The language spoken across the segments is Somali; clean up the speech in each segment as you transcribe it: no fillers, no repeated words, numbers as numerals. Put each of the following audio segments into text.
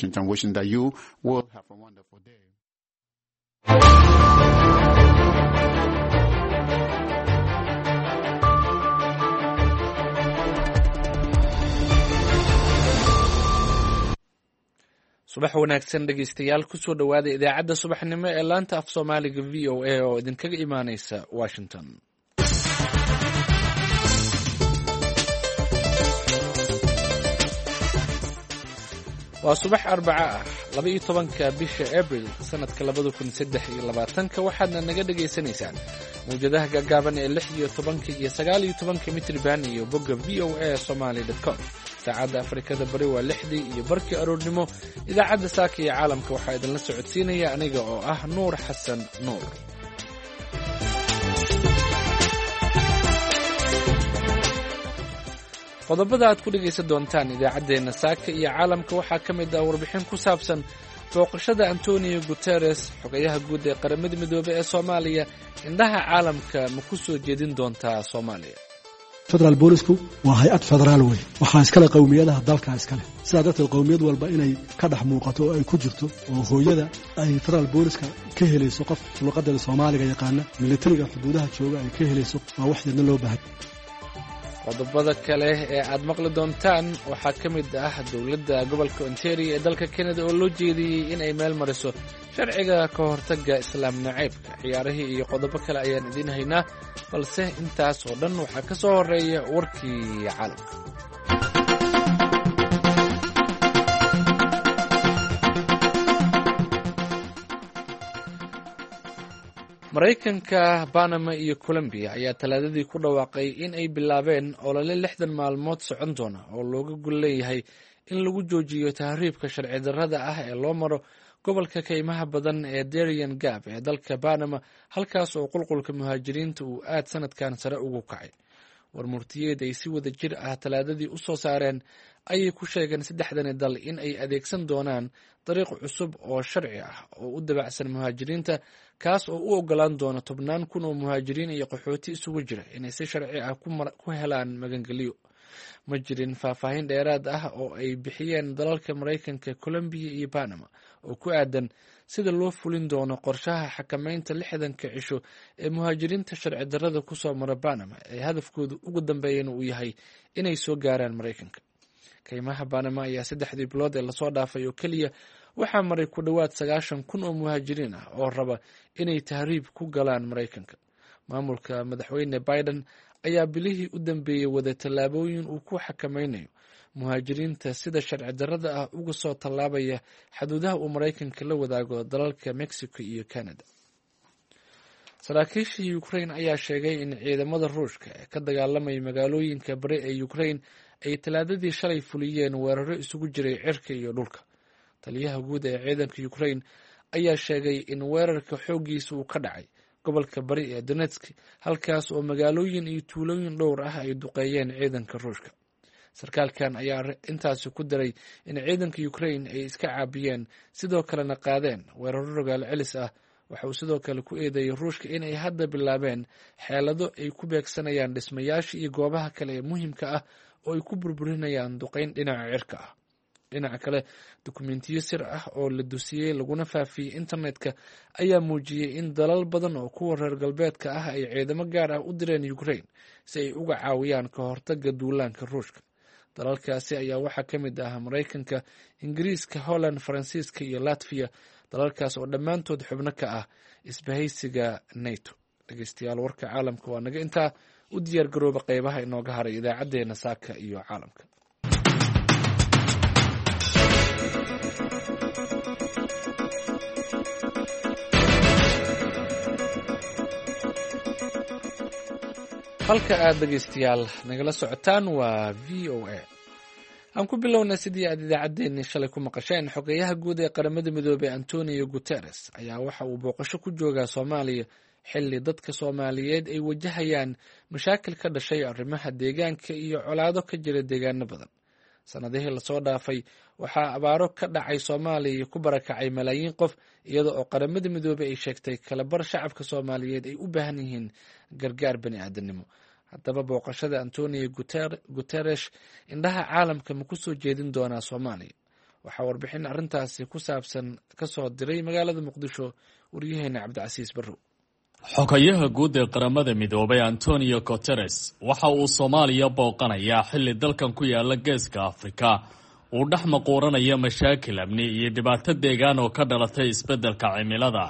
And wishing that you will have a wonderful day. Subax wanaagsan, dhegeystayaal. Kusoo dhowaada idaacadda subaxnimo ee laanta af Soomaaliga VOA oo idinkaga imaaneysa Washington. Waa subax Arbaco ah, 12-ka bisha Abril, sanadka 2023-ka. Waxaadna naga dhegaysanaysaan mawjadaha gaagaaban ee 16-ka iyo 19-ka mitriban iyo bogga VOA Somali com. Saacadda Afrikada Bari waa 6:30 aroornimo. Idaacadda saaka iyo caalamka waxaa idinla socodsiinaya aniga oo ah Nuur Xasan Nuur. Qodobada aad ku dhegaysan doontaan idaacaddeenna saaka iyo caalamka waxaa ka mid ah warbixin ku saabsan booqashada Antonio Guteres, xogayaha guud ee Qaramada Midoobey ee Soomaaliya. Indhaha caalamka ma ku soo jeedin doontaa Soomaaliya? Federaal boolisku waa hay-ad federaal wey. Waxaa iskale qowmiyadaha dalka iskale. Sidaa darteed, qowmiyad walba inay ka dhex muuqato oo ay ku jirto oo hooyada ay federaal booliska ka helayso qof luqadeeda Soomaaliga yaqaana, militariga xuduudaha jooga ay ka helayso, waa wax yadna loo baahay. Qodobada kale ee aad maqli doontaan waxaa ka mid ah dowladda gobolka Ontario ee dalka Canada oo loo jeediyey in ay meel mariso sharciga ka hortagga islaam nacaybka. Ciyaarihii iyo qodobo kale ayaan idiin haynaa, balse intaas oo dhan waxaa ka soo horeeya warkii caalamka. Maraykanka, Banama iyo Colombiya ayaa Talaadadii ku dhawaaqay in ay bilaabeen olole 60 maalmood socon doona oo looga gol leeyahay in lagu joojiyo tahriibka sharci darrada ah ee loo maro gobolka kaymaha badan ee Darian Gab ee dalka Banama, halkaas oo qulqulka muhaajiriinta uu aad sanadkan sare ugu kacay. Warmurtiyeed ay si wada jir ah Talaadadii u soo saareen ayay ku sheegeen saddexdani dal in ay adeegsan doonaan dariiq cusub oo sharci ah oo u dabacsan muhaajiriinta, kaas oo u ogolaan doona tobnaan kun oo muhaajiriin iyo qaxooti isugu jira inay si sharci ah ku helaan magangeliyo. Ma jirin faahfaahin dheeraad ah oo ay bixiyeen dalalka Maraykanka, Colombiya iyo Banama oo ku aadan sida loo fulin doono qorshaha xakameynta 60-ka cisho ee muhaajiriinta sharci darrada kusoo mara Banama ee hadafkoodu ugu dambeeyana uu yahay inay soo gaaraan Maraykanka. Kaymaha Banama ayaa saddexdii bilood ee lasoo dhaafay oo keliya waxaa maray ku dhowaad 90,000 oo muhaajiriin ah oo raba inay tahriib ku galaan Maraykanka. Maamulka Madaxweyne Biden ayaa bilihii u dambeeyey wada tallaabooyin uu ku xakameynayo muhaajiriinta sida sharci darrada ah uga soo tallaabaya xaduudaha uu Maraykanka la wadaago dalalka Mexico iyo Canada. Saraakiisha Ukraine ayaa sheegay in ciidamada Ruushka ee ka dagaalamaya magaalooyinka bari ee Ukraine ay Talaadadii shalay fuliyeen weeraro isugu jiray cirka iyo dhulka. Taliyaha guud ee ciidanka Ukraine ayaa sheegay in weerarka xooggiisa uu ka dhacay gobolka bari ee Donetsk, halkaas oo magaalooyin iyo tuulooyin dhowr ah ay duqeeyeen ciidanka Ruushka. Sarkaalkan ayaa intaasi ku daray in ciidanka Ukraine ay iska caabiyeen, sidoo kalena qaadeen weeraro rogaal celis ah. Waxa uu sidoo kale ku eedeeyey Ruushka in ay hadda bilaabeen xeelado ay ku beegsanayaan dhismayaasha iyo goobaha kale ee muhiimka ah oo ay ku burburinayaan duqeyn dhinaca cirka ah. Dhinaca kale, dukumentiyo sir ah oo la dusiyey laguna faafiyey internetka ayaa muujiyey in dalal badan oo kuwa reer galbeedka ah ay ciidamo gaar ah u direen Ukraine si ay uga caawiyaan ka hortagga duulaanka Ruushka. Dalalkaasi ayaa waxaa ka mid ah Maraykanka, Ingiriiska, Holland, Faransiiska iyo Latviya, dalalkaas oo dhammaantood xubno ka ah isbahaysiga NATO. Dhegeystayaal, warka caalamka waa naga intaa. U diyaar garooba qeybaha inooga haray idaacaddeenna saaka iyo caalamka. Halka aad, dhegeystayaal, nagala socotaan waa VOA. Aan ku bilownay. Sidii aad idaacaddeenni shalay ku maqasheen, xogeyaha guud ee Qaramada Midoobey Antonio Guteres ayaa waxa uu booqasho ku joogaa Soomaaliya xilli dadka Soomaaliyeed ay wajahayaan mashaakil ka dhashay arrimaha deegaanka iyo colaado ka jira deegaano badan. Sanadihii lasoo dhaafay waxaa abaaro ka dhacay Soomaaliya ku barakacay malaayiin qof, iyada oo Qaramada Midoobey ay sheegtay kalabar shacabka Soomaaliyeed ay u baahan yihiin gargaar bani aadamnimo. Haddaba, booqashada Antonio Guteresh indhaha caalamka ma ku soo jeedin doonaa Soomaaliya? Waxaa warbixin arrintaasi ku saabsan kasoo diray magaalada Muqdisho waryaheena Cabdicasiis Barrow. Xogayaha guud ee Qaramada Midoobay Antonio Guteres waxa uu Soomaaliya booqanayaa xilli dalkan ku yaala Geeska Afrika uu dhex maquuranaya mashaakil amni iyo dhibaato deegaan oo ka dhalatay isbeddelka cimilada.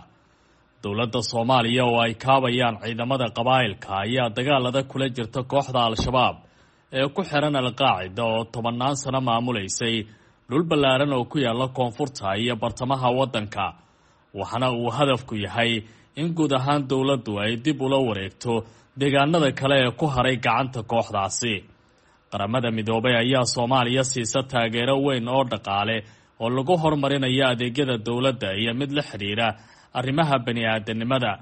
Dowladda Soomaaliya oo ay kaabayaan ciidamada qabaa'ilka ayaa dagaalada kula jirta kooxda Al-Shabaab ee ku xiran Al-Qaacida oo tobannaan sano maamulaysay dhul ballaaran oo ku yaala koonfurta iyo bartamaha waddanka, waxaana uu hadafku yahay in guud ahaan dowladdu ay dib ula wareegto deegaanada kale ee ku haray gacanta kooxdaasi. Qaramada Midoobay ayaa Soomaaliya siisa taageero weyn oo dhaqaale oo lagu horumarinayo adeegyada dowladda iyo mid la xidhiira arrimaha bani-aadanimada.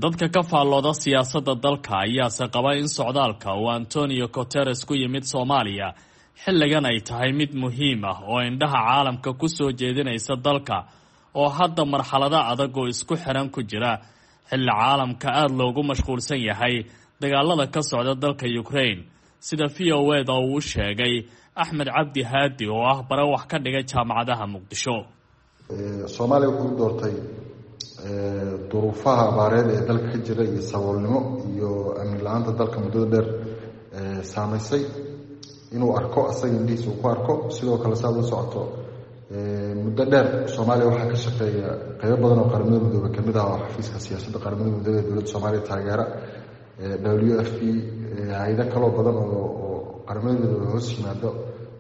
Dadka ka faallooda siyaasadda dalka ayaase qaba in socdaalka uu Antonio Guteres ku yimid Soomaaliya xilligan ay tahay mid muhiim ah oo indhaha caalamka ku soo jeedinaysa dalka oo hadda marxalado adag oo isku xiran ku jira, xilli caalamka aada loogu mashquulsan yahay dagaalada ka socda dalka Ukraine, sida VOA da uu u sheegay Axmed Cabdi Haadi oo ah bare wax ka dhigay jaamacadaha Muqdisho. Soomaaliya wuxuu u doortay duruufaha abaareed ee dalka ka jira iyo saboolnimo iyo amni la-aanta dalka muddada dheer saameysay, inuu arko asaga indhihiisa uu ku arko. Sidoo kale, saad la socoto, muddo dheer Soomaaliya waxaa ka shaqeeya qeybo badan oo Qaramada Midoobe kamid ah oo xafiiska siyaasadda Qaramada Midoobe ee dowladda Soomaaliya taageera, WFP, hay-ado kaloo badan oo Qaramada Midoobe hoos yimaado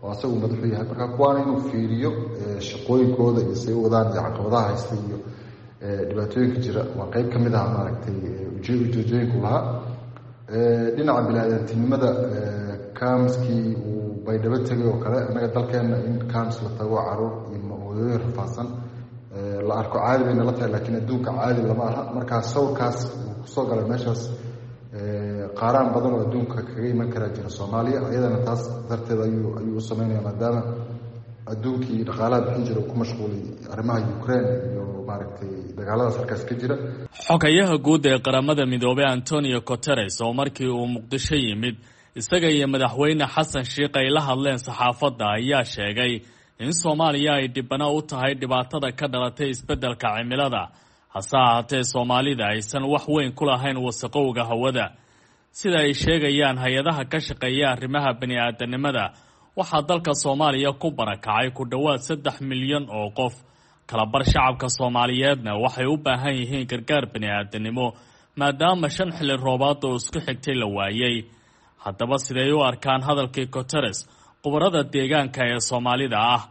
oo asagu madaxu yahay. Marka kuwaana inuu fiiriyo shaqooyinkooda iyo say u wadaan iyo caqabadaha haysta iyo dhibaatooyinka jira waa qeyb ka mid ah maaragtay ujeedooyinku lahaa. Dhinaca bini-aadantinimada, camps-kii uu Baydhabo tegay oo kale, annaga dalkeena in camps la tago, caruur iyo hooyooyin rafaadsan la arko, caadi bayna la tahay, laakiin adduunka caadi lama aha. Markaa sawirkaas uu kusoo galay meeshaas, qaaraan badan oo adduunka kaga iman karaa jira Soomaaliya, iyadana taas darteed ayuu u sameynaya, maadaama adduunkii dhaqaalaha bixin jira uu ku mashquulay arrimaha Ukraine iyo maaragtay dagaaladaas halkaas ka jira. Xogayaha guud ee Qaramada Midoobay Antonio Guteres oo markii uu Muqdisho yimid isaga iyo Madaxweyne Xasan Sheikh ay la hadleen saxaafadda ayaa sheegay in Soomaaliya ay dhibano u tahay dhibaatada ka dhalatay isbeddelka cimilada, hase ahaatee Soomaalida aysan wax weyn ku lahayn wasaqowga hawada. Sida ay sheegayaan hay-adaha ka shaqeeya arrimaha bani-aadanimada, waxaa dalka Soomaaliya ku barakacay ku dhowaad 3 milyan oo qof. Kalabar shacabka Soomaaliyeedna waxay u baahan yihiin gargaar bani-aadanimo, maadaama shan xilli roobaad oo isku xigtay la waayey. Haddaba, siday u arkaan hadalkii Guteres khubarada deegaanka ee Soomaalida ah?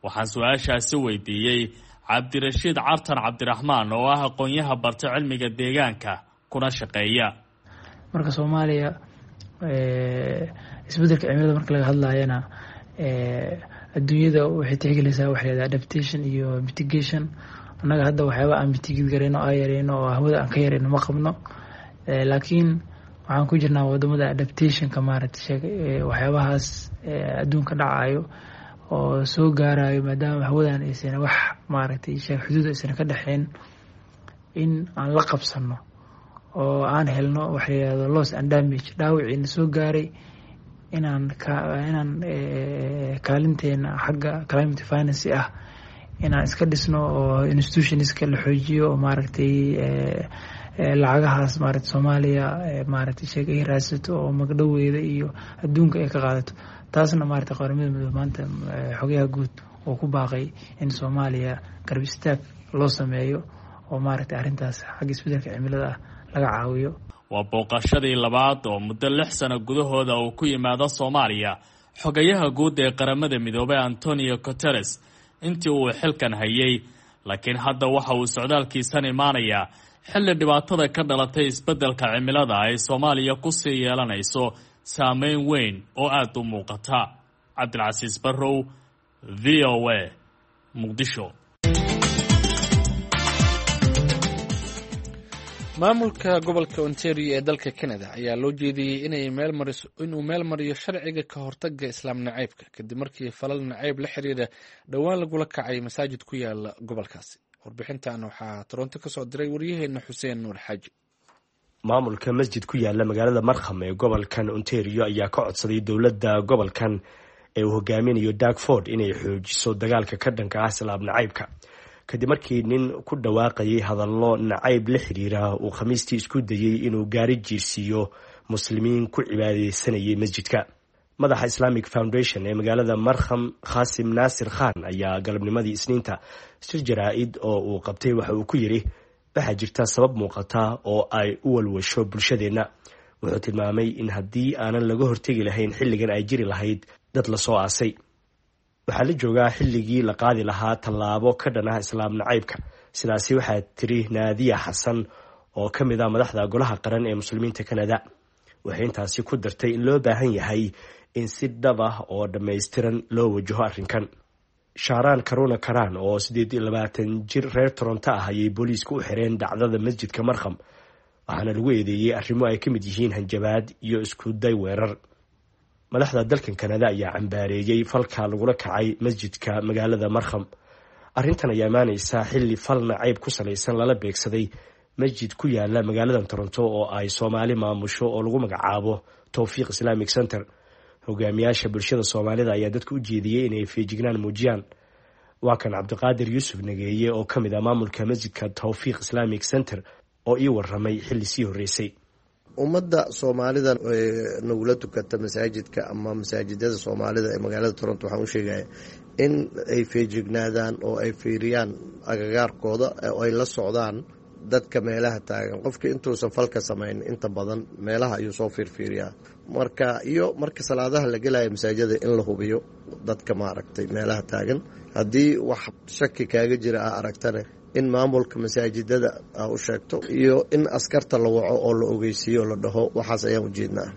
Waxaan su-aashaasi weydiiyey Cabdirashiid Cartan Cabdiraxmaan oo ah aqoon-yaha barta cilmiga deegaanka kuna shaqeeya. Marka Soomaaliya isbedelka cimilada marka laga hadlayana, adduunyada waxay tixgelinaysaa waxa la yidhaha adaptation iyo mitigation. Annaga hadda waxyaaba aan mitigate gareyno, aan yareyno oo hawada aan ka yareyno ma qabno, laakiin waxaan ku jirnaa wadamada adaptation-ka, maaragtay sheeg, waxyaabahaas adduunka dhacayo oo soo gaarayo, maadaama hawadan aysan wax, maaragtay sheeg, xuduud aysan ka dhexeyn, in aan la qabsano oo aan helno waxa la yihahdo loss and damage, dhaawiciina soo gaaray, inaan kaalinteena xagga climate finance ah inaan iska dhisno oo institutions-ka la xoojiyo oo, maaragtay, lacagahaas, maaragtay, Soomaaliya, maaragtay sheeg, ay raadsato oo magdhoweeda iyo adduunka ay ka qaadato. Taasna, maaragtay, Qaramada Midoobe maanta xogayaha guud oo ku baaqay in Soomaaliya garab istaag loo sameeyo oo, maaragtay, arrintaas xagga isbedelka cimilada ah laga caawiyo. Waa booqashadii labaad oo muddo 6 sano gudahooda uu ku yimaado Soomaaliya xogayaha guud ee Qaramada Midoobay Antonio Guteres intii uu xilkan hayay, laakiin hadda waxa uu socdaalkiisan imaanayaa xilli dhibaatada ka dhalatay isbeddelka cimilada ay Soomaaliya kusii yeelanayso saameyn weyn oo aada u muuqata. Cabdilcasiis Barrow, VOA, Muqdisho. Maamulka gobolka Ontario ee dalka Canada ayaa loo jeediyey inay meel mariso inuu meel mariyo sharciga ka hortaga Islaam nacaybka, kadib markii falal nacayb la xiriira dhowaan lagula kacay masaajid ku yaala gobolkaasi. Warbixintan waxaa Toronto kasoo diray waryaheena Xuseen Nuur Xaaji. Maamulka masjid ku yaala magaalada Markham ee gobolkan Ontario ayaa ka codsaday dowladda gobolkan ee uu hogaaminayo Doug Ford inay xoojiso dagaalka ka dhanka ah islaam nacaybka, kadib markii nin ku dhawaaqayay hadallo nacayb la xiriira uu Khamiistii isku dayey inuu gaari jiirsiiyo muslimiin ku cibaadeysanayay masjidka. Madaxa Islamic Foundation ee magaalada Markham, Khasim Naasir Khan, ayaa galabnimadii Isniinta shir jaraa-id oo uu qabtay waxa uu ku yidhi: "Waxaa jirta sabab muuqata oo ay u walwasho bulshadeenna." Wuxuu tilmaamay in haddii aanan laga hortegi lahayn xilligan ay jiri lahayd dad lasoo aasay. "Waxaa la joogaa xilligii la qaadi lahaa tallaabo ka dhan ah islaam nacaybka," sidaasi waxaa tiri Naadiya Xasan oo ka mid ah madaxda Golaha Qaran ee Muslimiinta Kanada. Waxay intaasi ku dartay in loo baahan yahay in si dhab ah oo dhammaystiran loo wajaho arrinkan. Shaaraan Karuna Karaan oo 28 jir reer Toronto ah ayay booliisku u xireen dhacdada masjidka Markham, waxaana lagu eedeeyey arrimo ay ka mid yihiin hanjabaad iyo isku day weerar. Madaxda dalkan Kanada ayaa cambaareeyey falka lagula kacay masjidka magaalada Markham. Arrintan ayaa imaaneysa xilli fal nacayb ku salaysan lala beegsaday masjid ku yaala magaalada Toronto oo ay Soomaali maamusho oo lagu magacaabo Towfiiq Islamic Center. Hogaamiyaasha bulshada Soomaalida ayaa dadka u jeediyey inay feejignaan muujiyaan. Waa kan Cabdiqaadir Yuusuf Nageeye oo ka mid ah maamulka masjidka Towfiiq Islamic Center oo ii waramay xilli sii horreysay. Ummadda Soomaalida nagula tukata masaajidka ama masaajidada Soomaalida ee magaalada Toronto waxaan u sheegaya in ay feejignaadaan oo ay fiiriyaan agagaarkooda oo ay la socdaan dadka meelaha taagan. Qofkii intuusan falka samayn inta badan meelaha ayuu soo fiirfiiriyaa. Marka iyo marka salaadaha la gelaya masaajida in la hubiyo dadka maaragtay meelaha taagan. Haddii wax shaki kaaga jira aa aragtane, in maamulka masaajidada aa u sheegto iyo in askarta la waco oo la ogeysiiyo la dhaho waxaas ayaan ujeednaa.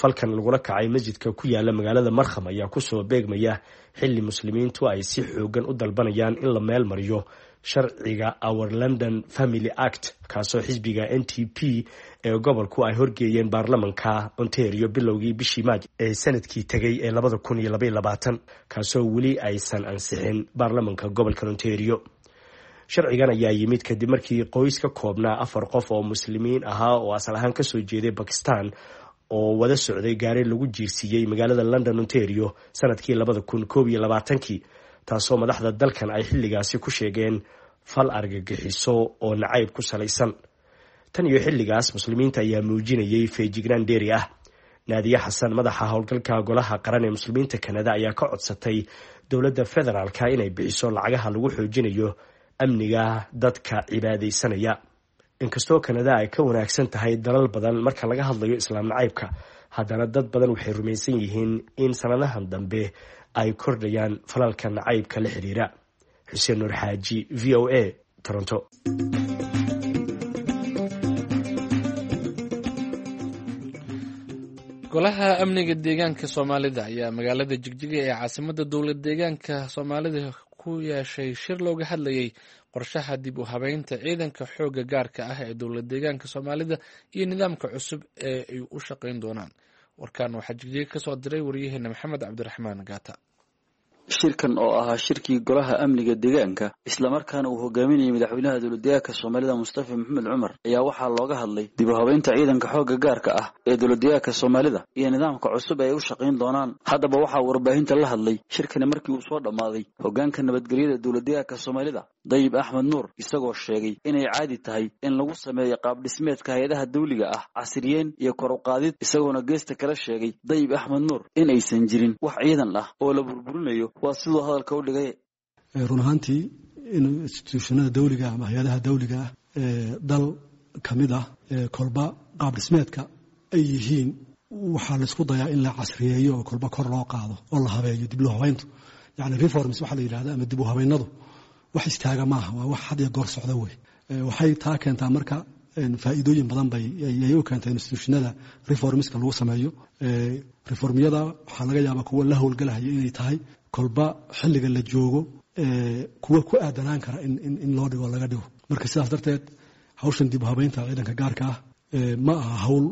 Falkan lagula kacay masjidka ku yaala magaalada Markham ayaa kusoo beegmaya xilli muslimiintu ay si xoogan u dalbanayaan in la meel mariyo sharciga Our London Family Act, kaasoo xisbiga NDP ee gobolku ay horgeeyeen baarlamanka Ontario bilowgii bishii Maaj ee sanadkii tegay ee 2022, kaasoo weli aysan ansixin baarlamanka gobolka Ontario. Sharcigan ayaa yimid kadib markii qoys ka koobnaa afar qof oo muslimiin ahaa oo asal ahaan kasoo jeeday Bakistan oo wada socday gaari lagu jiirsiiyey magaalada London, Ontario sanadkii 2021-kii, taasoo madaxda dalkan ay xilligaasi ku sheegeen fal argagixiso oo nacayb ku salaysan. Tan iyo xilligaas muslimiinta ayaa muujinayay feejignaan dheeri ah. Naadiye Xasan, madaxa howlgalka Golaha Qaran ee Muslimiinta Kanada, ayaa ka codsatay dowladda federaalka inay bixiso lacagaha lagu xoojinayo amniga dadka cibaadaysanaya. Inkastoo Kanada ay ka wanaagsan tahay dalal badan marka laga hadlayo islaam nacaybka, haddana dad badan waxay rumaysan yihiin in sanadahan dambe ay kordhayaan falalka nacaybka la xiriira. Xuseen Nuur Xaaji, VOA, Toronto. Golaha amniga deegaanka Soomaalida ayaa magaalada Jigjiga ee caasimada dowlad deegaanka Soomaalida ku yeeshay shir looga hadlayay qorshaha dib u habeynta ciidanka xoogga gaarka ah ee dowlad deegaanka Soomaalida iyo nidaamka cusub ee ay u shaqeyn doonaan. Warkan waxaa Jigjiga kasoo diray wariyaheena Maxamed Cabdiraxmaan Gaata. Shirkan oo ahaa shirkii golaha amniga deegaanka, islamarkaana uu hogaaminayay madaxweynaha dowladdeegaanka Soomaalida Mustafa Maxamed Cumar, ayaa waxaa looga hadlay dib u habeynta ciidanka xoogga gaarka ah ee dowladdeegaanka Soomaalida iyo nidaamka cusub ee ay u shaqayn doonaan. Haddaba waxaa warbaahinta la hadlay shirkani markii uu soo dhammaaday hoggaanka nabadgelyada dowladdeegaanka Soomaalida, Dayib Axmed Nuur, isagoo sheegay inay caadi tahay in lagu sameeyo qaabdhismeedka hay-adaha dawliga ah casriyeen iyo kor u qaadid, isagoona geesta kala sheegay Dayib Axmed Nuur in aysan jirin wax ciidan ah oo la burburinayo, waa siduu hadalka u dhigay. Run ahaantii in instituushanada dawliga ama hay-adaha dawliga ah ee dal ka mid ah kolba qaab dhismeedka ay yihiin waxaa laysku dayaa in la casriyeeyo oo kolba kor loo qaado oo la habeeyo. Dib loo habeyntu, yacni reforms waxaa la yidhahda ama dib u habeynadu, wax istaaga maaha, waa wax had iyo goor socda wey. Waxay taa keentaa marka faa'iidooyin badan bay ay u keentay institutionada reformska lagu sameeyo. Reformyada waxaa laga yaabaa kuwa la howlgalahaya inay tahay kolba xilliga la joogo kuwa ku aadanaan kara in loo dhigo laga dhigo. Marka sidaas darteed hawshan dib u habeynta ciidanka gaarka ah ma aha hawl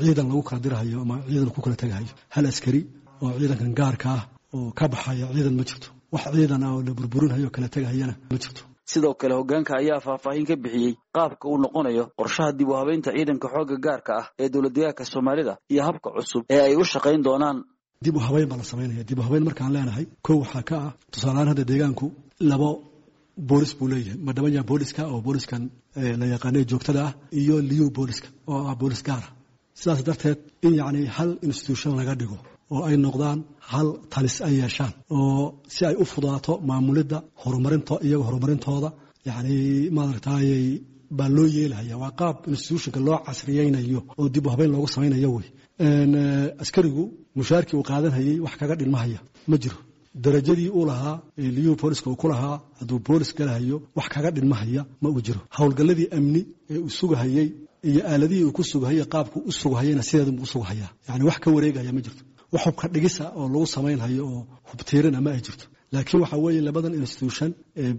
ciidan lagu kala dirahayo ama ciidan ku kala tegahayo. Hal askari oo ciidankan gaarka ah oo ka baxaya ciidan ma jirto, wax ciidan ah oo la burburinhayo kala tegahayana ma jirto. Sidoo kale hoggaanka ayaa faahfaahin ka bixiyey qaabka uu noqonayo qorshaha dib u habeynta ciidanka xoogga gaarka ah ee dowladdeegaanka Soomaalida iyo habka cusub ee ay u shaqayn doonaan. Dib u habeyn baa la samaynaya. Dib u habeyn markaan leenahay, kow waxaa ka ah tusaalehaan hadda deegaanku labo boolis buu leeyahay: Madhabanya booliska oo booliskan la yaqaanay joogtada ah, iyo Liyu booliska oo ah boolis gaara. Sidaas darteed in yacni hal institution laga dhigo oo ay noqdaan hal talis ay yeeshaan, oo si ay u fudaato maamulidda horumarinta iyaga horumarintooda, yacni maaragtayay baa loo yeelahaya. Waa qaab institutionka loo casriyeynayo oo dib u habeyn loogu samaynayo wey. Askarigu mushaarkii uu qaadanhayey wax kaga dhinmahaya ma jiro. Darajadii uu lahaa Liyu booliska uu ku lahaa hadduu boolis galahayo, wax kaga dhinmahaya ma uu jiro. Howlgalladii amni ee uu sugahayey iyo aaladihii uu ku sugahayey, qaabku u sugahayena sideedunbuu u sugahayaa. Yani wax ka wareegaya ma jirto, wax hubka dhigisa oo lagu samaynhayo oo hubtiirina ma ay jirto. Laakiin waxaa weeye labadan institution ee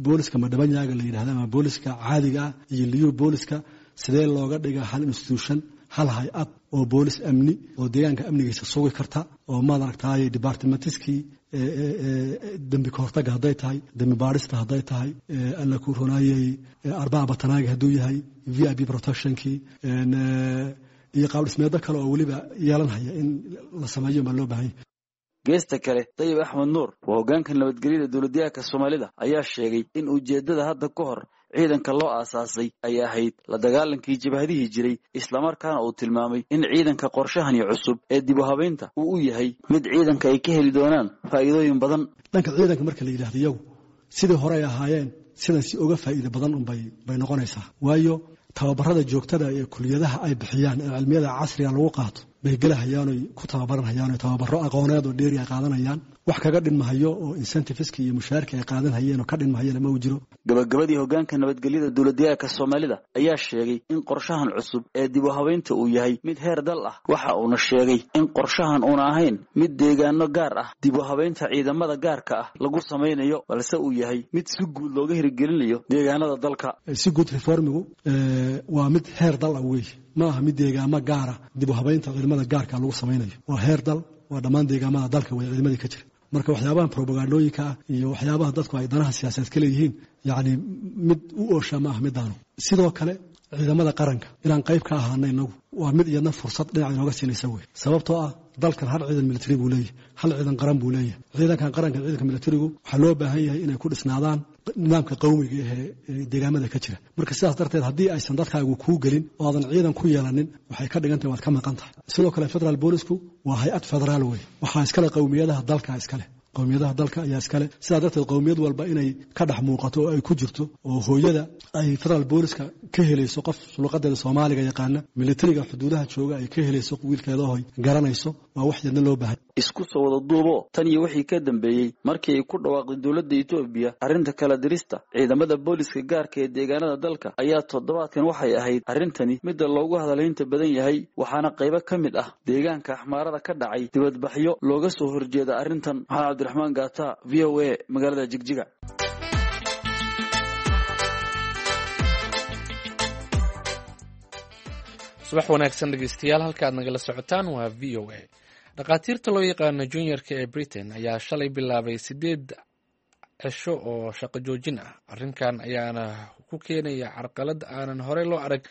booliska madhabanyaaga la yidhahda ama booliska caadiga ah iyo Liyu booliska, sidee looga dhiga hal institution, hal hay-ad oo boolis amni oo deegaanka amnigiisa sugi karta, oo maad aragtaay departmentiskii dembi kahortaga hadday tahay, dembi baadhista hadday tahay, alla ku ronaayey arbaa batanaaga hadduu yahay, VIP protectionkii iyo qaab dhismeedo kale oo weliba yeelanhaya in la sameeyo baa loo baahan yahay. Geesta kale, Dayib Axmed Nuur waa hoggaanka nabadgelyada dowladdeegaanka Soomaalida ayaa sheegay in ujeeddada hadda ka hor ciidanka loo aasaasay ay ahayd la dagaalankii jabhadihii jiray, islamarkaana uu tilmaamay in ciidanka qorshahani cusub ee dib u habeynta uu u yahay mid ciidanka ay ka heli doonaan faa'iidooyin badan. Dhanka ciidanka marka la yidhahdo, iyagu sidii hore ay ahaayeen sidan si uga faa'iido badan unbay bay noqonaysaa, waayo tababarada joogtada ee kuliyadaha ay bixiyaan ee cilmiyada casriga lagu qaato bay gelahayaanoy ku tababaranhayaano tababaro aqooneed oo dheeri ay qaadanayaan. Wax kaga dhinmahayo oo incentiveska iyo mushaarka ay qaadanhayeen oo ka dhinmahayeen ma uu jiro. Gabagabadii, hoggaanka nabadgelyada dowladdeegaanka Soomaalida ayaa sheegay in qorshahan cusub ee dib u habeynta uu yahay mid heer dal ah. Waxa uuna sheegay in qorshahan uuna ahayn mid deegaano gaar ah dib u habeynta ciidamada gaarka ah lagu samaynayo, balse uu yahay mid si guud looga hirgelinayo deegaanada dalka. Si guud reformigu waa mid heer dal ah wey, ma aha mid deegaamo gaara dib u habeynta ciidamada gaarka lagu samaynayo. Waa heer dal, waa dhammaan deegaamada dalka way ciidamadii ka jira. Marka waxyaabaha probagandooyinka ah iyo waxyaabaha dadku ay danaha siyaasadeed ka leeyihiin, yacni mid u oosha ma ah midaanu. Sidoo kale ciidamada qaranka inaan qayb ka ahaana inagu waa mid iyadna fursad dhinaca inooga siinaysa wey, sababtoo ah dalkan hal ciidan military buu leeyahay, hal ciidan qaran buu leeyahay. Ciidankan qaranka, ciidanka militarigu waxaa loo baahan yahay inay ku dhisnaadaan nidaamka qawmiga ee deegaamada ka jira. Marka sidaas darteed haddii aysan dadkaagu kuu gelin oo aadan ciidan ku yeelanin, waxay ka dhigan tahay waad ka maqan tahay. Sidoo kale federaal boolisku waa hay-ad federaal wey. Waxaa iskale qowmiyadaha dalka iskale, qowmiyadaha dalka ayaa iskale. Sidaa darteed qowmiyad walba inay ka dhex muuqato oo ay ku jirto, oo hooyada ay federaal booliska ka helayso qof luqadeeda Soomaaliga yaqaana, militariga xuduudaha jooga ay ka helayso wiilkeeda hoy garanayso, waa wax yadna loo baahan. Isku soo wada duubo, tan iyo wixii ka dambeeyey markii ay ku dhawaaqday dowladda Itoobiya arrinta kala dirista ciidamada booliska gaarka ee deegaanada dalka ayaa toddobaadkan waxay ahayd arrintani midda loogu hadalhaynta badan yahay, waxaana qaybo ka mid ah deegaanka Axmaarada ka dhacay dibadbaxyo looga soo horjeeda arrintan. Maxamed Cabdiraxmaan Gaata, VOA, magaalada Jigjiga. Subax wanaagsan dhegeystayaal, halka aad nagala socotaan waa VOA. Dhakhaatiirta loo yaqaano juniorka ee Britain ayaa shalay bilaabay 8 cisho oo shaqo joojin ah. Arrinkan ayaana ku keenaya carqalad aanan horey loo arag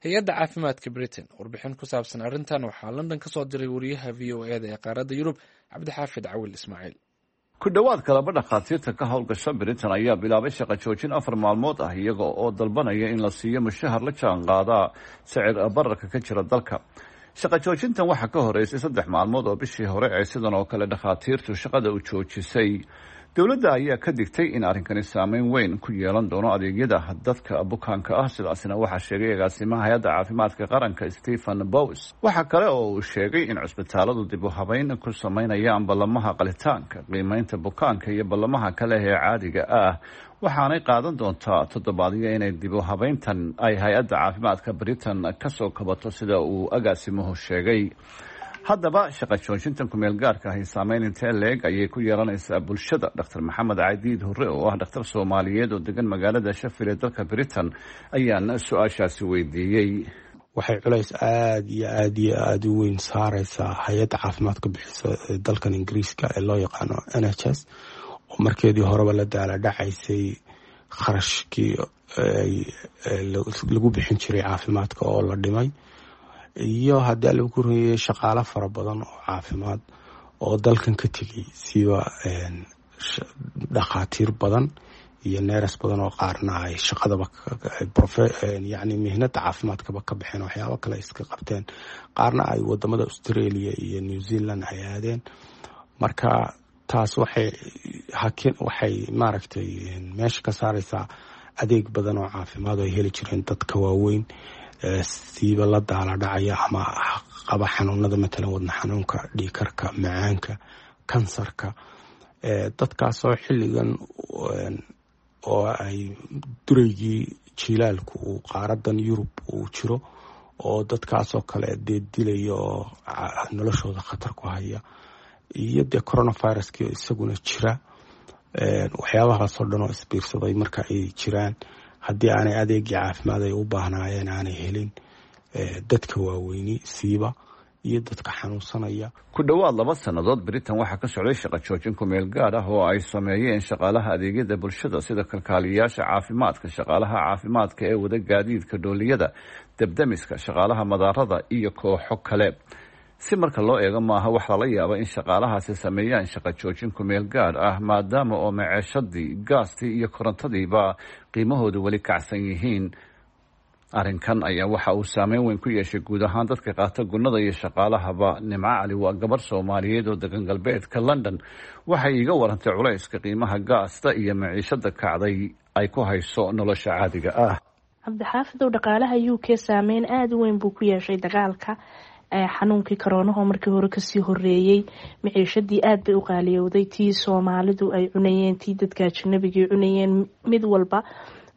hay-adda caafimaadka Britain. Warbixin ku saabsan arrintan waxaa London ka soo diray wariyaha VOA da ee qaaradda Yurub, Cabdixaafid Cawil Ismaaciil. Ku dhowaad kalaba dhakhaatiirta ka howlgasha Britain ayaa bilaabay shaqo joojin 4 maalmood ah, iyaga oo dalbanaya in la siiyo mushahar la jaan qaada sicir bararka ka jira dalka. Shaqo joojintan waxaa ka horeysay 3 maalmood oo bishii hore ee sidan oo kale dhakhaatiirtu shaqada u joojisay. Dowladda ayaa ka digtay in arrinkani saameyn weyn ku yeelan doono adeegyada dadka bukaanka ah. Sidaasina waxaa sheegay agaasimaha hay-adda caafimaadka qaranka, Stephen Bows. Waxaa kale oo uu sheegay in cusbitaaladu dib u habeyn ku sameynayaan ballamaha qalitaanka, qiimeynta bukaanka iyo ballamaha kale ee caadiga ah, waxaanay qaadan doontaa toddobaadyo inay dib u habeyntan ay hay-adda caafimaadka Britain kasoo kabato, sida uu agaasimuhu sheegay. Haddaba shaqa joojintan kumeel gaarka ahi saameyn intee leeg ayay ku yeelanaysaa bulshada? Dr Maxamed Cadiid Hurre oo ah dhakhtar Soomaaliyeed oo degan magaalada Sheffield ee dalka Britain ayaan su-aashaasi weydiiyey. Waxay culays aada iyo aada iyo aada u weyn saareysaa hay-adda caafimaadka bixisa dalkan Ingiriiska ee loo yaqaano NHS, oo markeedii horeba la daala dhacaysay kharashkii lagu bixin jiray caafimaadka oo la dhimay, iyo haddii alla ku horeeyay shaqaalo fara badan oo caafimaad oo dalkan ka tegay, siba dhakhaatiir badan iyo neeras badan oo qaarna ay shaqadaba yani mihnada caafimaadkaba ka baxeen, waxyaabo kale iska qabteen, qaarna ay wadamada Australia iyo New Zealand ay aadeen. Marka taas waxay hakin, waxay maaragtay meesha ka saareysaa adeeg badan oo caafimaad oo ay heli jireen dadka waaweyn, siiba la daala dhacaya ama qaba xanuunada, matalan wadna xanuunka, dhiikarka, macaanka, kansarka. Dadkaasoo xilligan oo ay dureygii jilaalku uu qaaradan Yurub uu jiro oo dadkaasoo kale dee dilaya oo noloshooda khatar ku haya, iyo dee coronaviruskii isaguna jira, waxyaabahaasoo dhan oo isbiirsaday marka ay jiraan, haddii aanay adeegii caafimaad ay u baahnaayeen aanay helin dadka waaweyni siiba iyo dadka xanuunsanaya. Ku dhowaad 2 sannadood Britain waxaa ka socday shaqo joojin ku-meel gaad ah oo ay sameeyeen shaqaalaha adeegyada bulshada, sida kalkaaliyayaasha caafimaadka, shaqaalaha caafimaadka ee wada gaadiidka dhooliyada, debdemiska, shaqaalaha madaarada iyo kooxo kale. Si marka loo eego, maaha wax lala yaaba in shaqaalahaasi sameeyaan shaqo joojin ku-meel gaad ah, maadaama oo maceeshadii, gaastii iyo korontadiiba qiimahoodu weli kacsan yihiin. Arrinkan ayaa waxa uu saameyn weyn ku yeeshay guud ahaan dadka qaata gunnada iyo shaqaalahaba. Nimco Cali waa gabar Soomaaliyeed oo degan galbeedka London. Waxay iiga warantay culayska qiimaha gaasta iyo maciishada kacday ay ku hayso nolosha caadiga ah. Cabdixaafidow, dhaqaalaha UK saameyn aada u weyn buu ku yeeshay dagaalka, xanuunkii karoonaho markii hore kasii horeeyey. Maciishadii aada bay u qaaliyowday, tii Soomaalidu ay cunayeen, tii dadka ajnabigii cunayeen, mid walba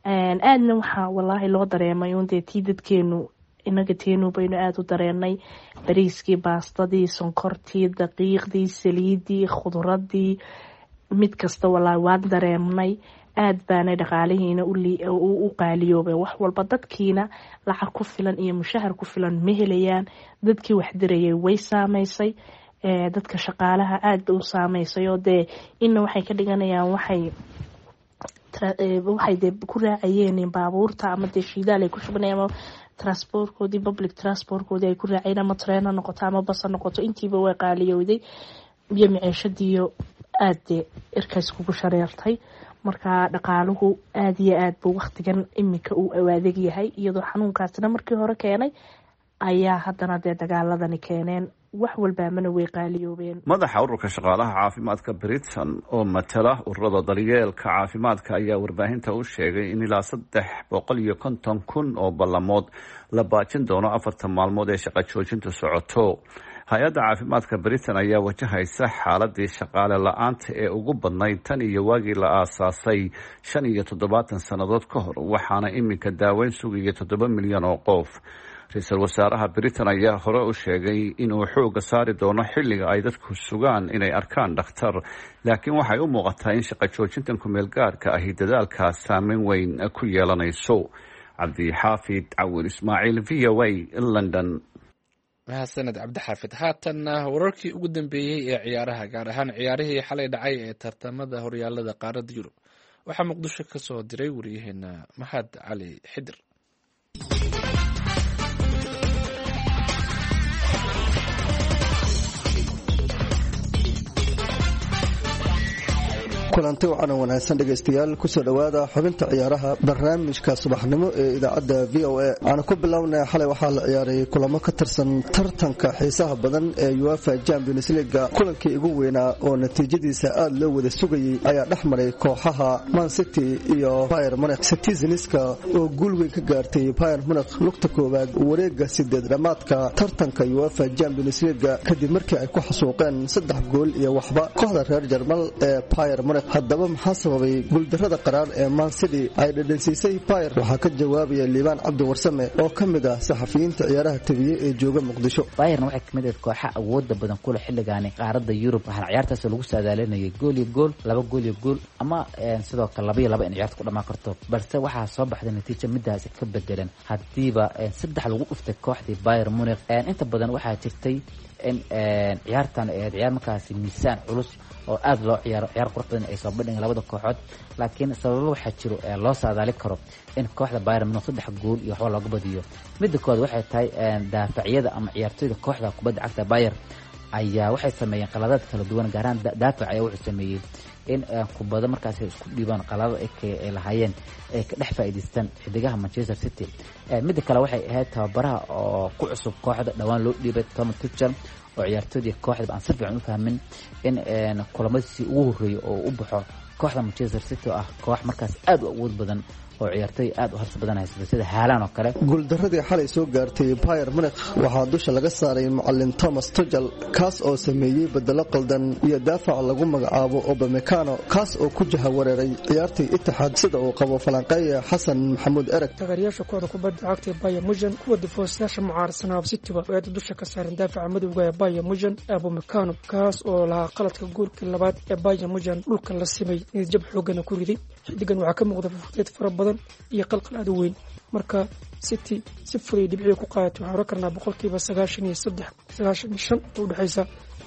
aadna waxaa walaahi loo dareemay un dee tii dadkeenu inaga teenu baynu aada u dareenay: bariiskii, baastadii, sonkortii, daqiiqdii, saliidii, khudradii, mid kasta walaahi waan dareemnay. Aada baanay dhaqaalihiina u qaaliyoobay wax walba. Dadkiina lacag ku filan iyo mushahar ku filan ma helayaan. Dadkii wax dirayay way saameysay, dadka shaqaalaha aada bay u saameysay, oo dee ina waxay ka dhiganayaan waxay dee ku raacayeen baabuurta ama dee shidaal ay ku shubanayaan ama transportkoodii, public transportkoodii ay ku raacayeen, ama tareen ha noqoto ama bas ha noqoto, intiiba way qaaliyowday iyo maciishadiiyo aada dee irkays kugu shareertay. Marka dhaqaaluhu aada iyo aad buu waktigan iminka uu adeeg yahay, iyadoo xanuunkaasina markii hore keenay ayaa haddana dee dagaaladani keeneen, wax walbaamana way qaaliyoobeen. Madaxa ururka shaqaalaha caafimaadka Britain oo matala ururada daryeelka caafimaadka ayaa warbaahinta u sheegay in ilaa 350,000 oo ballamood la baajin doono 40 maalmood ee shaqo joojintu socoto. Hay-adda caafimaadka Britain ayaa wajahaysa xaaladii shaqaale la-aanta ee ugu badnayd tan iyo waagii la aasaasay 75 sannadood ka hor, waxaana iminka daaweyn sugaya 7 milyan oo qof. Ra-iisul wasaaraha Britain ayaa hore u sheegay inuu xooga saari doono xilliga ay dadku sugaan inay arkaan dhakhtar, laakiin waxay u muuqataa in shaqo joojintan kumeel gaarka ahi dadaalkaas saameyn weyn ku yeelanayso. Cabdixaafid Cawil Ismaaciil, VOA, London. Mahadsaned Cabdixaafid. Haatanna wararkii ugu dambeeyey ee ciyaaraha, gaar ahaan ciyaarihii xalay dhacay ee tartamada horyaalada qaaradda Yurub, waxaa Muqdisho ka soo diray wariyaheena Maxad Cali Xidir. Kulanti wacan wanaagsan dhegaystayaal, kusoo dhowaada xubinta ciyaaraha barnaamijka subaxnimo ee idaacadda VOA. Waxaana ku bilownay, xalay waxaa la ciyaaray kulamo ka tirsan tartanka xiisaha badan ee UEFA Champions League. Kulankii ugu weynaa oo natiijadiisa aada loo wada sugayey ayaa dhex maray kooxaha Man City iyo Bayern Munich. Citizenska oo guul weyn ka gaartay Bayern Munich lugta koowaad wareega sideed dhammaadka tartanka UEFA Champions League, kadib markii ay ku xasuuqeen 3 gool iyo waxba kooxda reer Jarmal ee Bayern Munich. Haddaba maxaa sababay guuldarrada qaraar ee Man City ay dhadhansiisay Bayern? Waxaa ka jawaabaya Liibaan Cabdi Warsame oo ka mid ah saxafiyiinta ciyaaraha tabiye ee jooga Muqdisho. Bayern waxay kamid ahayd kooxa awooda badan kule xilligaani qaaradda Yurub, waxaana ciyaartaas lagu saadaalinayay gool iyo gool, 2 gool iyo gool, ama sidoo kale 2-2 in ciyaarta ku dhamaan karto, balse waxaa soo baxday natiijo midaas ka bedelan, haddiiba saddex lagu dhuftay kooxdii Bayern Munich. Inta badan waxaa jirtay in ciyaartan ahayd ciyaar markaasi miisaan culus oo aada loo ciyaaro, ciyaar qurux badan ay soo bandhigeen labada kooxood, laakiin sababo waxaa jiro ee loo saadaali karo in kooxda Bayern Munich saddex gool iyo waxba looga badiyo. Midda koowaad waxay tahay daafacyada ama ciyaartoyda kooxda kubadda cagta Bayern ayaa waxay sameeyeen qaladaad kala duwan, gaar ahaan daafac ayaa wuxuu sameeyey in kubado markaas isku dhiibaan qalado ay lahaayeen ay ka dhex faa'iidaystaan xidigaha Manchester City. Midda kale waxay ahayd tababaraha oo ku cusub kooxda dhowaan loo dhiibay Thomas Tuchel oo ciyaartoydii kooxda aan si fiican u fahmin in kulamadiisii ugu horreeyay oo u baxo kooxda Manchester City oo ah koox markaas aad u awood badan oo ciyaartoy aad u halis badan haysata sida Haaland oo kale. Guuldaradii xalay soo gaartay Bayern Munich waxaa dusha laga saaray macalin Thomas Tuchel, kaas oo sameeyey bedelo qaldan iyo daafac lagu magacaabo Upamecano, kaas oo ku jahawareeray ciyaartii Itixaad, sida uu qabo falanqeeya Xasan Maxamuud Ereg. Taageerayaasha kooxda kubadda cagta ee Bayern Munich, kuwa difoosayaasha mucaarasanaab Cityba oo aad dusha ka saaran daafaca madowga ee Bayern Munich Upamecano, kaas oo lahaa qaladka goolkii labaad ee Bayern Munich dhulka la simay, niyad jab xoogana ku riday. Xidigan waxaa ka muuqda fufudeed fara badan iyo qalqal aad u weyn. Marka City si fuday dhibciga ku qaadatay, waxaan oran karnaa 93% 95% oo udhexaysa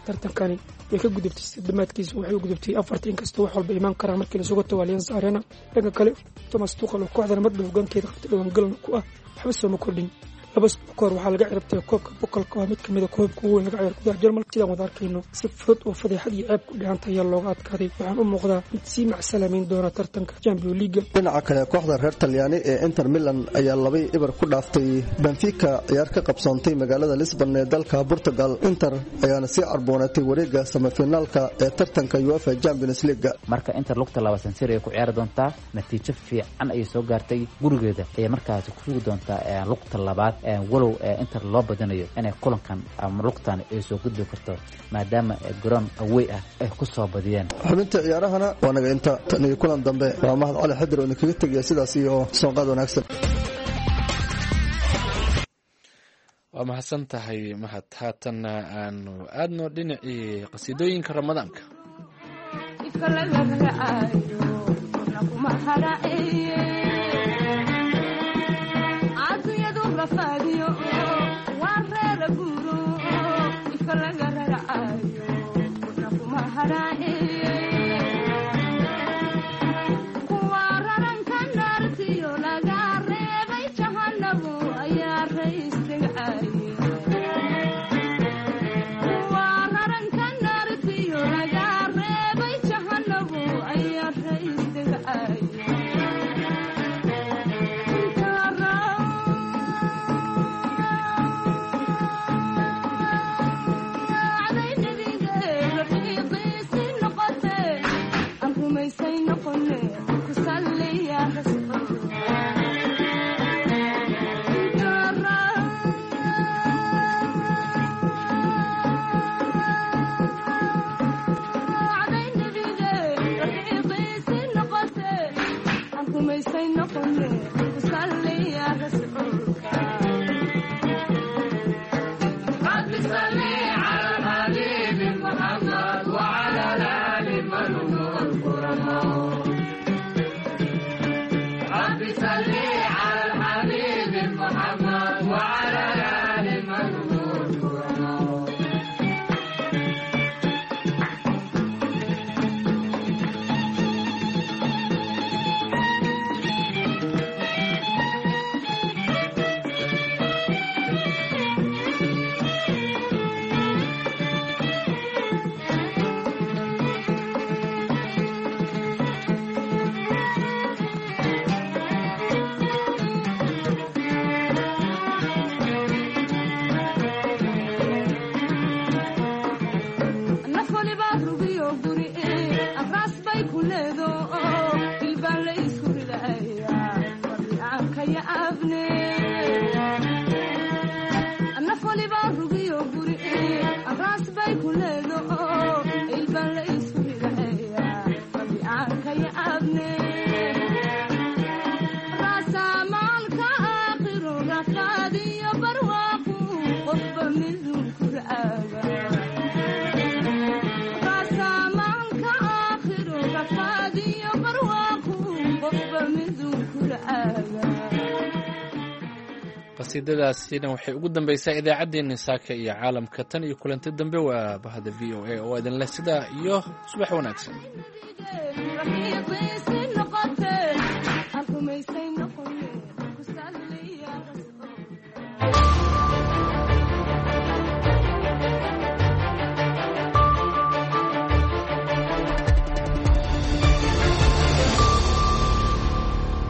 tartankani way ka gudubtay dhammaadkiisa, waxay u gudubtay afarta, inkastoo wax walba imaan karaan markii lasuga tago Allianz Arena. Dhanka kale Thomas Tuchel oo kooxdan mar dhow hogaankeeda qabtay dhawaangalna ku ah waxba sooma kordhin. Laba sano kahor waxaa laga ciribtay koobka bokolka oo mid kamid a koobka ugu weyn laga ciyaaro gudaha Jarmalka. Sidaan wada arkayno si fudud oo fadeexad iyo ceeb ku dhihanta ayaa looga adkaaday. Waxaan u muuqdaa mid sii macsalamayn doona tartanka Champions League. Dhinaca kale kooxda reer Talyaani ee Inter Milan ayaa 2-0 ku dhaaftay Benfica ciyaar ka qabsoontay magaalada Lisbon ee dalka Portugal. Inter ayaana sii carboonatay wareega semifinaalka ee tartanka UEFA Champions League. Marka Inter lugta laba San Siro ay ku ciyaari doontaa, natiijo fiican ayay soo gaartay, gurigeeda ayay markaasi ku sugi doontaa lugta labaad, walow Inter loo badinayo inay kulankan ama lugtan ay soo gudbi karto maadaama garoon awey ah ay ku soo badiyeen. Xubinta ciyaarahana waa naga inta tan iyo kulan dambe. Waa Mahad Cali Xadir oo idinkaga tegaya sidaas iyo soonqaad wanaagsan. Waa mahadsan tahay Mahad. Haatanna aanu aadno dhinacii qasiidooyinka Ramadaanka. Qasiidadaasina waxay ugu dambaysaa idaacaddeenni saaka iyo caalamka. Tan iyo kulanti dambe waa bahda v o a oo idinleh sidaa iyo subax wanaagsan.